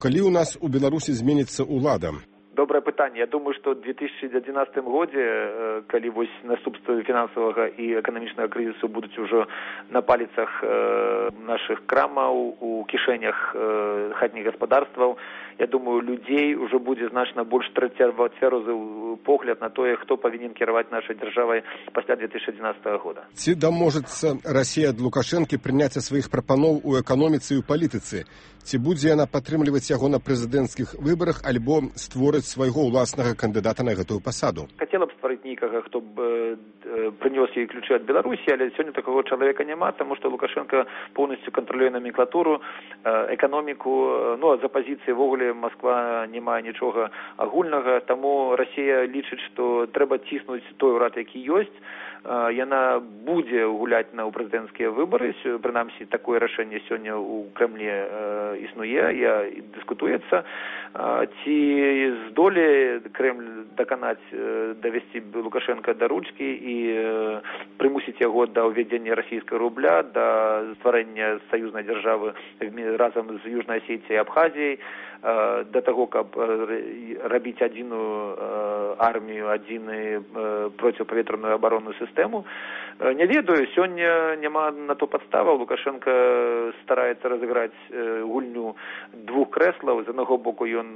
Калі у нас у Беларусі зменіцца ўлада? Добрае пытанне. Я думаю, што ў 2011 годзе, калі вось наступствы фінансавага і эканамічнага крызісу будуць ужо на паліцах нашых крамаў, у кішэнях хатніх гаспадарстваў, я думаю, людзей ужо будзе значна больш цвярозы погляд на тое, хто павінен кіраваць нашай дзяржавай пасля 2011 года. Ці даможацца Расія ад Лукашэнкі прыняцця сваіх прапаноў у эканоміцы і ў палітыцы? Ці будзе яна падтрымліваць яго на прэзідэнцкіх выбарах альбо створыць свайго ўласнага кандыдата на гэтую пасаду? Хацела б стварыць нейкага, хто б прынёс ёй ключы ад Беларусі, але сёння такого чалавека няма, таму што Лукашенко поўнасцю кантралюе номенклатуру, эканоміку, ну а з апазіцыі ввогуле Москва не мае нічога агульнага, таму Расія лічыць, што трэба ціснуць той урад, які ёсць. Яна будзе гуляць на прэзідэнцкія выбары, прынамсі такое рашэнне сёння ў Крэмлі існуе, дыскутуецца. Ці здолее Крэмль даканаць, давесці Лукашенка да ручкі і прымусіць яго да ўвядзення расійскага рубля, да стварэння саюзнай дзяржавы разам з Южнай Асетіяй і Абхазіяй, да таго, каб рабіць адзіную армію, адзіны проціпавветраную абаронную сістэму. Не ведаю, сёння няма на то падставаў. Лукашенко стараецца разыграць гульню двух крэслаў. З аднаго боку ён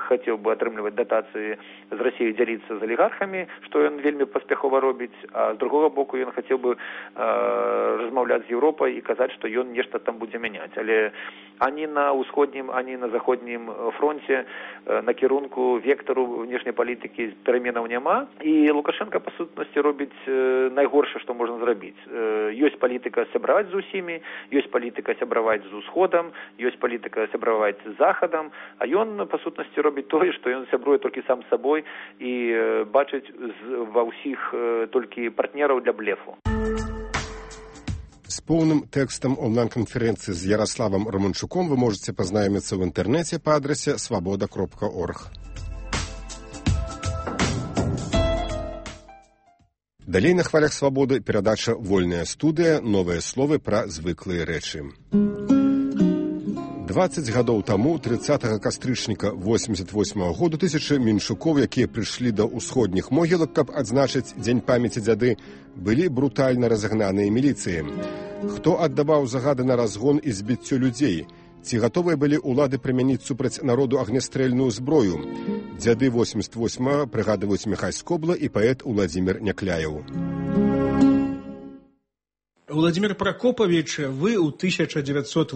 хацеў бы атрымліваць датацыі з Расіяй, дзяліцца з алігархамі, што ён вельмі паспяхова робіць, а з другога боку ён хацеў бы размаўляць з Еўропай і казаць, што ён нешта там будзе мяняць. Але ані на ўсходнім, ані на заходнім фронте накірунку вектару внешняй палітыкі пераменаў няма. І Лукашенко, па сутнасці, робіць найгоршае, што можна зрабіць. Ёсць палітыка сябраваць з усімі, ёсць палітыка сябраваць з усходам, ёсць палітыка сябраваць з захадам, а ён, па сутнасці, робіць тое, што ён сябруе толькі сам з сабой і бачыць ва ўсіх толькі партнераў для блефу. З поўным тэкстам онлайн-канферэнцыі з Ярославам Романчуком вы можете пазнаёміцца ў інтэрнэце па адрасе свабода.орг. Далей на хвалях свабоды перадача «Вольная студыя. Новыя словы пра звыклыя рэчы». 20 гадоў таму, 30 кастрычніка 88 году, тысячы меншукоў, якія прыйшлі да ўсходніх могілак, каб адзначыць дзень памяці дзяды, былі брутальна разагнаныя міліцыі. Хто аддаваў загады на разгон і збіццё людзей? Ці гатовыя былі ўлады прымяніць супраць народу агнястрэльную зброю? Дзяды 88 прыгадваюць Міхась Скобла і паэт Уладзімір Някляеў. Владимир Прокопович, вы ў 1988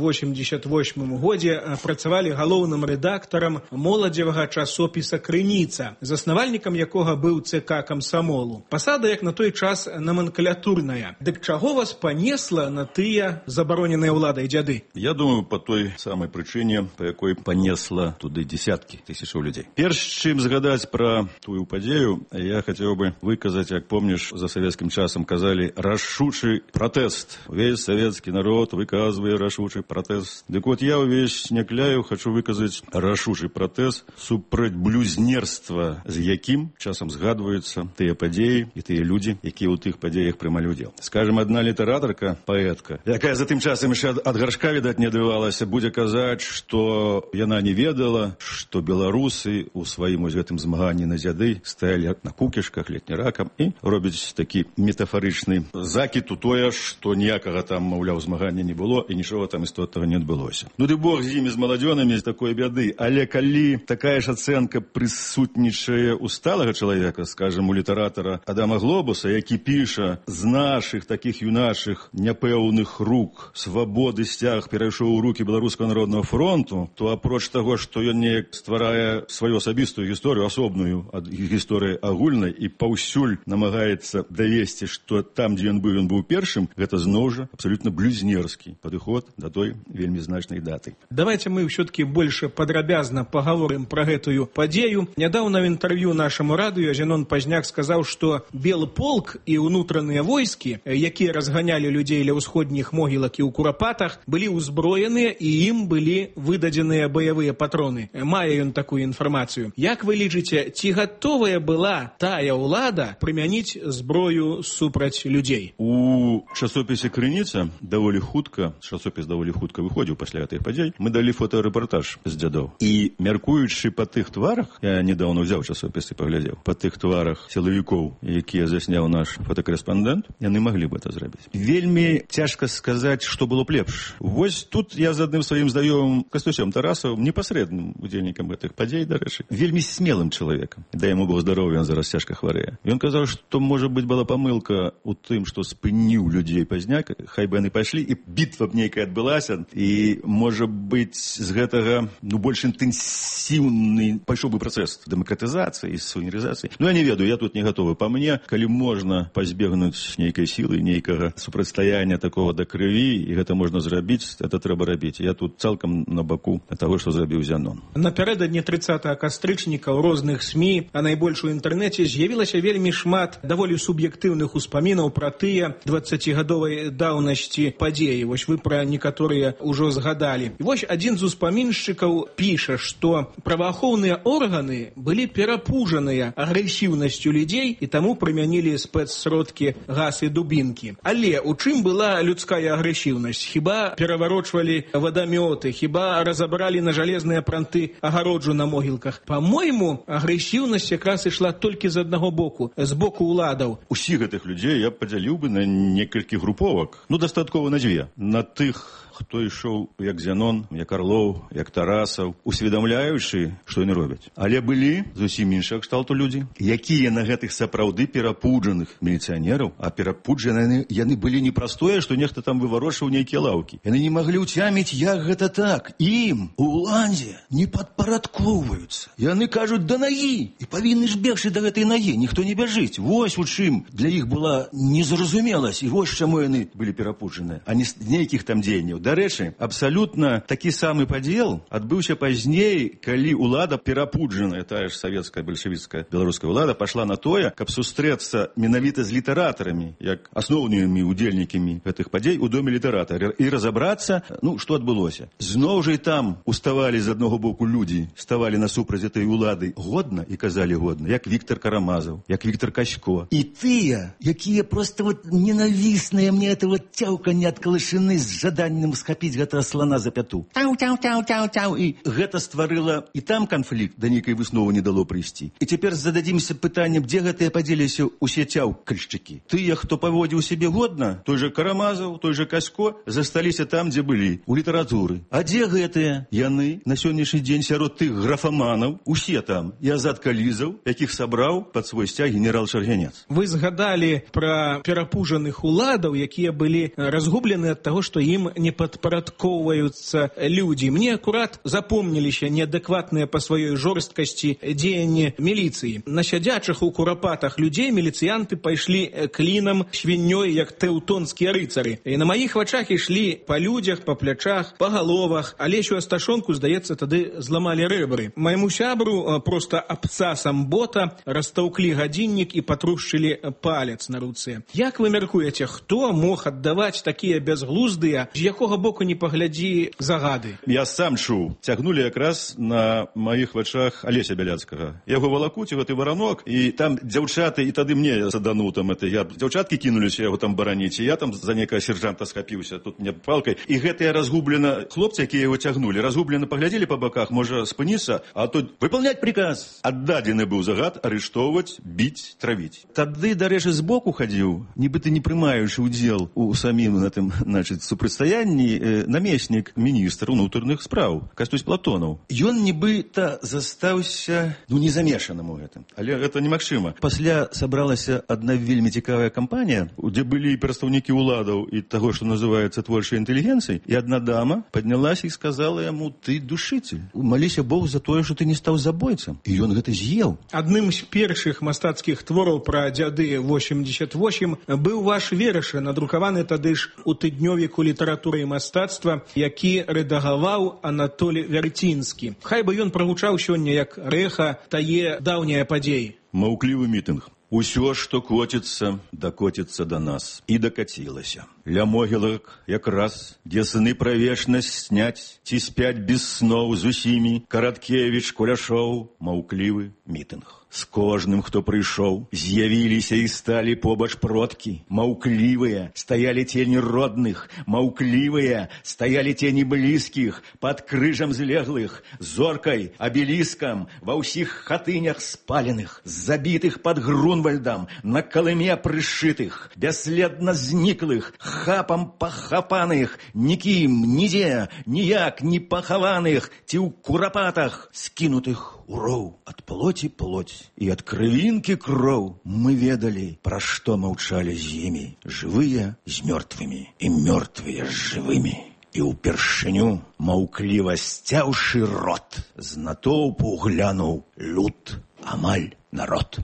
годзе працавалі галоўным рэдактарам моладзевага часопіса «Крыніца», заснавальнікам якога быў ЦК камсамолу. Пасада, як на той час, номенклатурная. Дык чаго вас панесла на тыя забароненыя ўладай дзяды? Я думаю, по той самай прычыне, па якой панесла туды десяткі тысячаў людзей. Перш чым згадаць пра тую падзею, я хацеў бы выказаць, як помніш, за савецкім часам казалі, рашучы пратэст. Увесь советский народ выказывает рашучий протест. Так вот, я увесь Някляеў хочу выказать рашучий протест супраць блюзнерства, з якім часам згадваюцца тыя падзеі і тыя людзі, якія ў тых падзеях прымалі удзел. Скажем, адна літаратарка, паэтка, якая за тым часам яшчэ ад гаршка, відаць, не адбывалася, будзе казаць, што яна не ведала, што беларусы ў сваім гэтым змаганні на дзяды стаялі на кукішках, летняракам і робяць такі метафарычны закід у тое, што ніякага там, маўляў, змагання не было і нічога там істотнага не адбылося. Ну ды бог з імі, з маладзёнамі, з такой бяды. Але калі такая ж ацэнка прысутнічае у сталага чалавека, скажем, у літаратара Адама Глобуса, які піша з нашых такіх юнашых няпэўных рук свабоды сцяг перайшоў у рукі Беларускага народнага фронту, то апроч таго, што ён неяк стварае сваю асабістую гісторыю, асобную ад гісторыі агульнай і паўсюль намагаецца давесці, што там, дзе ён быў першым, гэта зноў жа абсолютно блюзнерскі падыход да той вельмі значнай даты. Давайте мы все-таки больше падрабязна поговорим про гэтую падзею. Нядаўна в інтэрв'ю нашаму радыё Зенон Пазняк сказаў, што белы полк і ўнутраныя войскі, якія разганялі людзей ля ўсходніх могілак і ў курапатах, былі ўзброеныя і ім былі выдадзеныя баявыя патроны. Мае ён такую інфармацыю. Як вы лічыце, ці гатовая была тая ўлада прымяніць зброю супраць людзей? У часопісе «Крыніца» даволі хутка, часопіс даволі хутка выходзіў пасля гэтых падзей, мы далі фотарэпартаж з дзядоў. І мяркуючы па тых тварах, я недавно ўзяў часопіс і паглядзеў, па тых тварах сілавікоў, якія засняў наш фотакарэспандэнт, яны маглі б это зрабіць. Вельмі цяжка сказаць, што было б лепш. Вось тут я з адным сваім знаёмым Кастусем Тарасавым, непасрэдным удзельнікам гэтых падзей, дарэчы, вельмі смелым чалавекам. Дай яму Бог здароўя, ён зараз цяжка хварэе. Ён казаў, што, можа быць, была памылка ў тым, што спыніў людзей пазняк, хай бы яны пайшлі, і бітва б нейкая адбылася, і, можа быць, з гэтага, больш інтэнсіўны пайшоў бы працэс дэмакратызацыі і суверэнізацыі. Я не ведаю, я тут не гатовы. Па мне, калі можна пазбегнуць нейкай сілы, нейкага супрацьстаяння такого да крыві, і гэта можна зрабіць, это трэба рабіць. Я тут цалкам на баку таго, што зрабіў Зянон. Напярэдадні 30 кастрычніка ў розных СМІ, а найбольш у інтэрнэце з'явілася вельмі шмат даволі суб'ектыўных успамінаў пра тыя 20гадовай даўнасці падзеі. Вось вы пра некаторыя ўжо згадалі. І вось адзін з успаміншчыкаў піша, што праваахоўныя органы былі перапужаныя агрэсіўнасцю людзей і таму прымянілі спецсродкі газ і дубінкі. Але у чым была людская агрэсіўнасць? Хіба пераварочвалі вадамёты, хіба разабралі на жалезныя пранты агароджу на могілках? Па-мойму, агрэсіўнасць якраз ішла толькі з аднаго боку, з боку ўладаў. Усіх гэтых людзей я падзяліў бы на некалькі груповак. Дастаткова на дзве. На тых, хто ішоў як Зянон, як Арлоў, як Тарасаў, усведамляючы, што яны робяць. Але былі зусім іншага кшталту людзі, якія на гэтых сапраўды перапуджаных міліцыянераў, а перапуджаны яны былі не прастое, што нехта там выварочваў нейкія лаўкі. Яны не маглі ўцяміць, як гэта так. Ім, уладзе, не падпарадкоўваюцца. Яны кажуць, да нагі, і павінны ж бегчы да гэтай нагі, ніхто не бяжыць. Вось у чым для іх была незразумеласць, і вось чаму яны былі перапуджаныя, а не з нейкіх там дзеянняў. Дарэчы, абсалютна такі самы падзел адбыўся пазней, калі ўлада перапуджаная, тая ж савецкая, бальшавіцкая, беларуская ўлада пашла на тое, каб сустрэцца менавіта з літаратарамі, як асноўнымі удзельнікамі гэтых падзей у доме літаратара, і разабрацца, што адбылося. Зноў жа і там уставалі з аднаго боку людзі, ставалі насупраць этой улады годна і казалі годна, як Віктор Карамазаў, як Віктор Касько. І тыя, якія проста ненавісныя мне это цяўканне ад калышыны з жаданнем схапіць гэтага слана за пяту. Тау-тау-тау-тау-тау. І гэта стварыла і там канфлікт, да нейкай высновы не дало прыйсці. І цяпер зададзімся пытаннем, дзе гэтыя падзеліся ўсе цяўкальшчыкі. Тыя, хто паводзіў сябе годна, той жа Карамазаў, той жа Касько, засталіся там, дзе былі, у літаратуры. А дзе гэтыя? Яны на сённяшні дзень сярод тых графаманаў, усе там, і Азат Калізаў, якіх сабраў пад свой сцяг генерал Шарганец. Вы згадалі пра перапужаных уладаў, якія былі разгублены ад таго, што ім не падпарадкоўваюцца людзі. Мне акурат запомніліся неадэкватныя па сваёй жорсткасці дзеянні міліцыі. На сядзячых у курапатах людзей міліцыянты пайшлі клінам свіннёй, як тэўтонскія рыцары. І на маіх вачах ішлі па людзях, па плячах, па галовах. Алесю Асташонку, здаецца, тады зламалі рэбры. Майму сябру проста абцасам бота растаўклі гадзіннік і патрушчылі палец на руцэ. Як вы мяркуеце, хто мог аддаваць такія бязглуздыя, з якога боку не паглядзі, загады? Я сам чуў. Цягнулі якраз на маіх вачах Алеся Бяляцкага. Яго валакуць, гэты варанок, і там дзяўчаты, і тады мне садануў там это. Дзяўчаткі кінуліся яго там бараніць, і я там за некага сержанта схапіўся, тут мне палкай. І гэтыя разгублена хлопцы, якія яго цягнулі, разгублена паглядзелі па баках, можа спыніцца, а тут выпаўняць приказ. Аддадзены быў загад арыштоўваць, біць, травіць. Тады, дарэчы, збоку хадзіў, нібыта не прымаючы ўдзел у самім на тым, супрацьстаянні, намеснік міністра ўнутраных спраў Кастусь Платонаў. Ён нібыта застаўся, незамешаным у гэтым. Але гэта немагчыма. Пасля сабралася адна вельмі цікавая кампанія, дзе былі прадстаўнікі ўладаў і таго, што называецца творчай інтэлігенцыяй, і адна дама паднялася і сказала яму: ты душитель, маліся Богу за тое, што ты не стаў забойцам. І ён гэта з'еў. Адным з першых мастацкіх твораў пра дзяды 88 быў ваш верш, надрукаваны тады ж у тыднёвіку літаратуры і мастацтва, які рэдагаваў Анатолій Вярцінскі. Хай бы ён прагучаў сёння як рэха тае даўняе падзеі. Маўклівы мітынг. Усё, што коціцца, дакоціцца да нас. І дакацілася. ля могілак якраз, дзе сны пра вечнасць сняць, ці спяць без сноў з усімі, Караткевіч, Куляшоў, маўклівы мітынг. З кожным, хто прыйшоў, з'явіліся і сталі побач продкі. Маўклівыя стаялі тені родных, маўклівыя стаялі тені блізкіх, пад крыжам злеглых, зоркай, абеліскам, ва ўсіх хатынях спаленых, забітых пад Грунвальдам, на калыме прышытых, бясследна зніклых, хапам пахапаных, нікім, нідзе, ніяк не пахаваных, ці ў курапатах скінутых у роў ад плоці плоть. І ад крывінкі кроў мы ведалі, пра што маўчалі з імі, жывыя з мёртвымі і мёртвыя з жывымі. І ўпершыню, маўкліва сцяўшы рот, з натоўпу глянуў люд, амаль народ.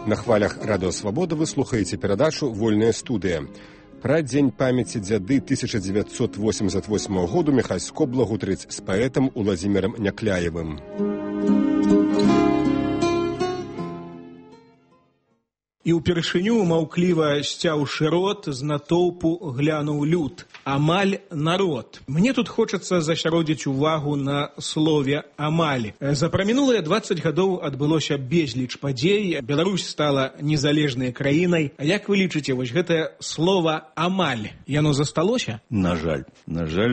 На хвалях Радыё Свабода вы слухаеце перадачу «Вольная студыя». Пра дзень памяці дзяды 1988 году Міхась Скобла гутарыць з паэтам Уладзімірам Някляевым. І ўпершыню, маўкліва сцяўшы рот, з натоўпу глянуў люд, амаль народ. Мне тут хочацца засяродзіць увагу на слове «амаль». За прамінулыя 20 гадоў адбылося безліч падзей, Беларусь стала незалежнай краінай. А як вы лічыце, вось гэтае слова «амаль», яно засталося? На жаль,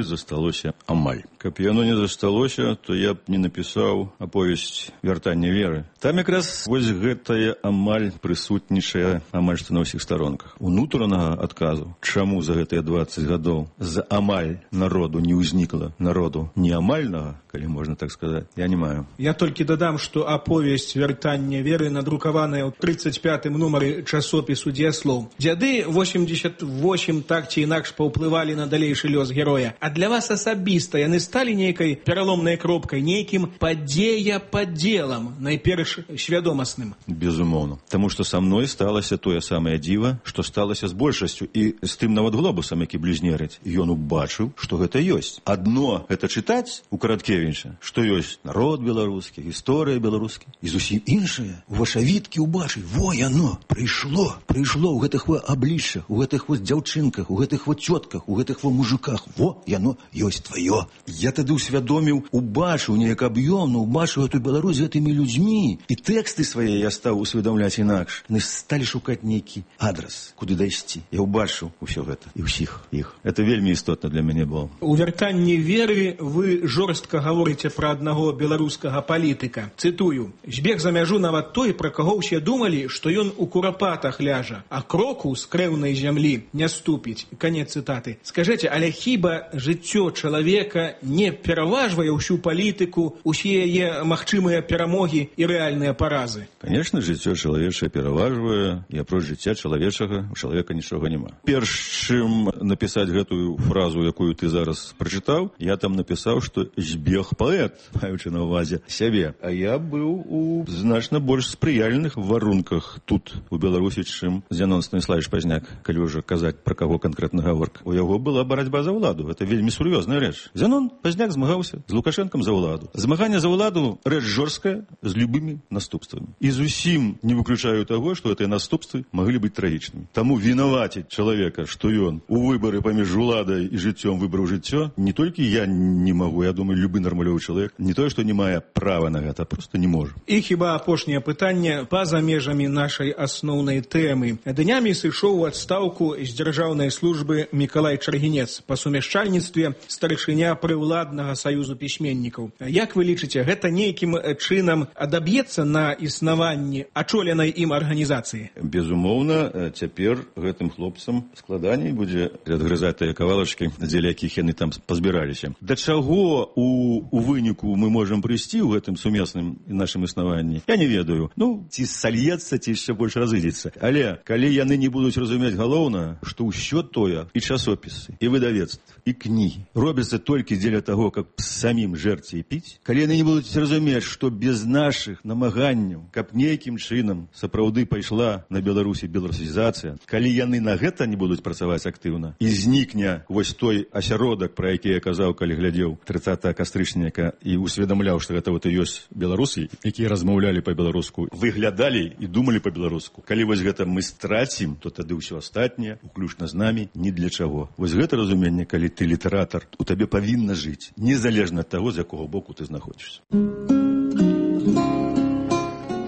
засталося амаль. Каб яно не засталося, то я б не напісаў аповесць «Вяртанне веры». Там якраз вось гэтае амаль прысутнічае амаль што на ўсіх старонках. Унутранага адказу, чаму за гэтыя 20 гадоў з амаль народу не ўзнікла народу неамальнага, калі можна так сказаць, я не маю. Я толькі дадам, што аповесць «Вяртанне веры» надрукаваная ў 35-м нумары часопісу «Дзеяслоў». Дзяды 88 так ці інакш паўплывалі на далейшы лёс героя. А для вас асабіста яны сталі нейкай пераломнай кропкай, нейкім падзея-падзелам, найперш свядомасным? Безумоўна. Таму што са мной сталася тое самае дзіва, што сталася з большасцю. І з тым нават глобусам, які блізнерыць. Ён убачыў, што гэта ёсць. Адно гэта чытаць у Караткевіча, што ёсць народ беларускі, гісторыя беларускі. І зусім іншае. У вашавіткі убачыць, во яно, прыйшло ў гэтых во абліччах, у гэтых во дзяўчынках, у гэтых во цётках, у гэтых во мужиках. Во яно ёсць тваё. Я тады ўсвядоміў, убачыў неяк аб'ёмна, убачыў эту Беларусь з гэтымі людзьмі. І тэксты свае я стаў усведамляць інакш. Мы сталі шукаць нейкі адрас, куды дайсці. Я ўбачыў усё гэта і ўсіх іх. Это вельмі істотна для мяне было. У «Вяртанні веры» вы жорстка гаворыце пра аднаго беларускага палітыка. Цытую: «Збег за мяжу нават той, пра каго ўсе думалі, што ён у курапатах ляжа, а кроку з крэўнай зямлі не ступіць». Канец цытаты. Скажыце, але хіба жыццё чалавека не пераважвае ўсю палітыку, усе яе магчымыя перамогі і рэальныя паразы? Конечно, жыццё чалавечае пераважвае, і апроч жыцця чалавечага у чалавека нічога няма. Перш чым напісаць гэтую фразу, якую ты зараз прачытаў, я там напісаў, што збег паэт, маючы на ўвазе сябе. А я быў у значна больш спрыяльных варунках тут, у Беларусі, чым Зянон Станіславович Пазняк, калі ўжо казаць, пра каго канкрэтна гаворка. У яго была барацьба за ўладу. Это вельмі сур'ёзная рэч. Зянон Пазняк змагаўся з Лукашэнкам за ўладу. Змаганне за ўладу — рэч жорсткая, з любымі наступствамі. І зусім не выключаю таго, што гэтыя наступствы маглі быць трагічнымі. Таму вінаваціць чалавека, што ён у выбары паміж уладай і жыццём выбраў жыццё, не толькі я не магу, я думаю, любы нармалёвы чалавек, не тое, што не мае права на гэта, а проста не можа. І хіба апошняе пытанне па-за межамі нашай асноўнай тэмы. Днямі сышоў у адстаўку з дзяржаўнай службы Мікалай Чаргінец, па сумяшчальніцтве старшыня прыўладнага саюзу пісьменнікаў. Як вы лічыце, гэта нейкім чынам адаб'ецца на існаванні ачоленай ім арганізацыі? Безумоўна, цяпер гэтым хлопцам складаней будзе адгрызаць тыя кавалачкі, дзеля якіх яны там пазбіраліся. Да чаго у выніку мы можам прыйсці ў гэтым сумесным нашым існаванні, я не ведаю. Ну, ці сальецца, ці яшчэ больш разыдзецца. Але калі яны не будуць разумець галоўна, што ўсё тое, і часопісы, і выдавецтва, і кнігі робяцца толькі дзеля таго, каб самім жерці і піць, калі яны не будуць разумець, што без нашых намаганняў, каб нейкім чынам сапраўды пайшла пайшла на Беларусі беларусізацыя, калі яны на гэта не будуць працаваць актыўна, і знікне вось той асяродак, пра які я казаў, калі глядзеў 30 кастрычніка і усведамляў, што гэта вот і ёсць беларусы, якія размаўлялі па-беларуску, выглядалі і думалі па-беларуску. Калі вось гэта мы страцім, то тады ўсё астатняе, уключна з намі, ні для чаго. Вось гэта разуменне, калі ты літаратар, у табе павінна жыць, незалежна ад таго, з якога боку ты знаходзішся.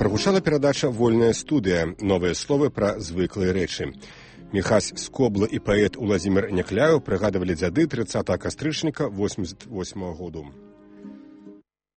Прагучала перадача «Вольная студыя». Новыя словы пра звыклыя рэчы. Міхась Скобла і паэт Уладзімір Някляеў прыгадывалі дзяды 30 кастрычніка 88 году.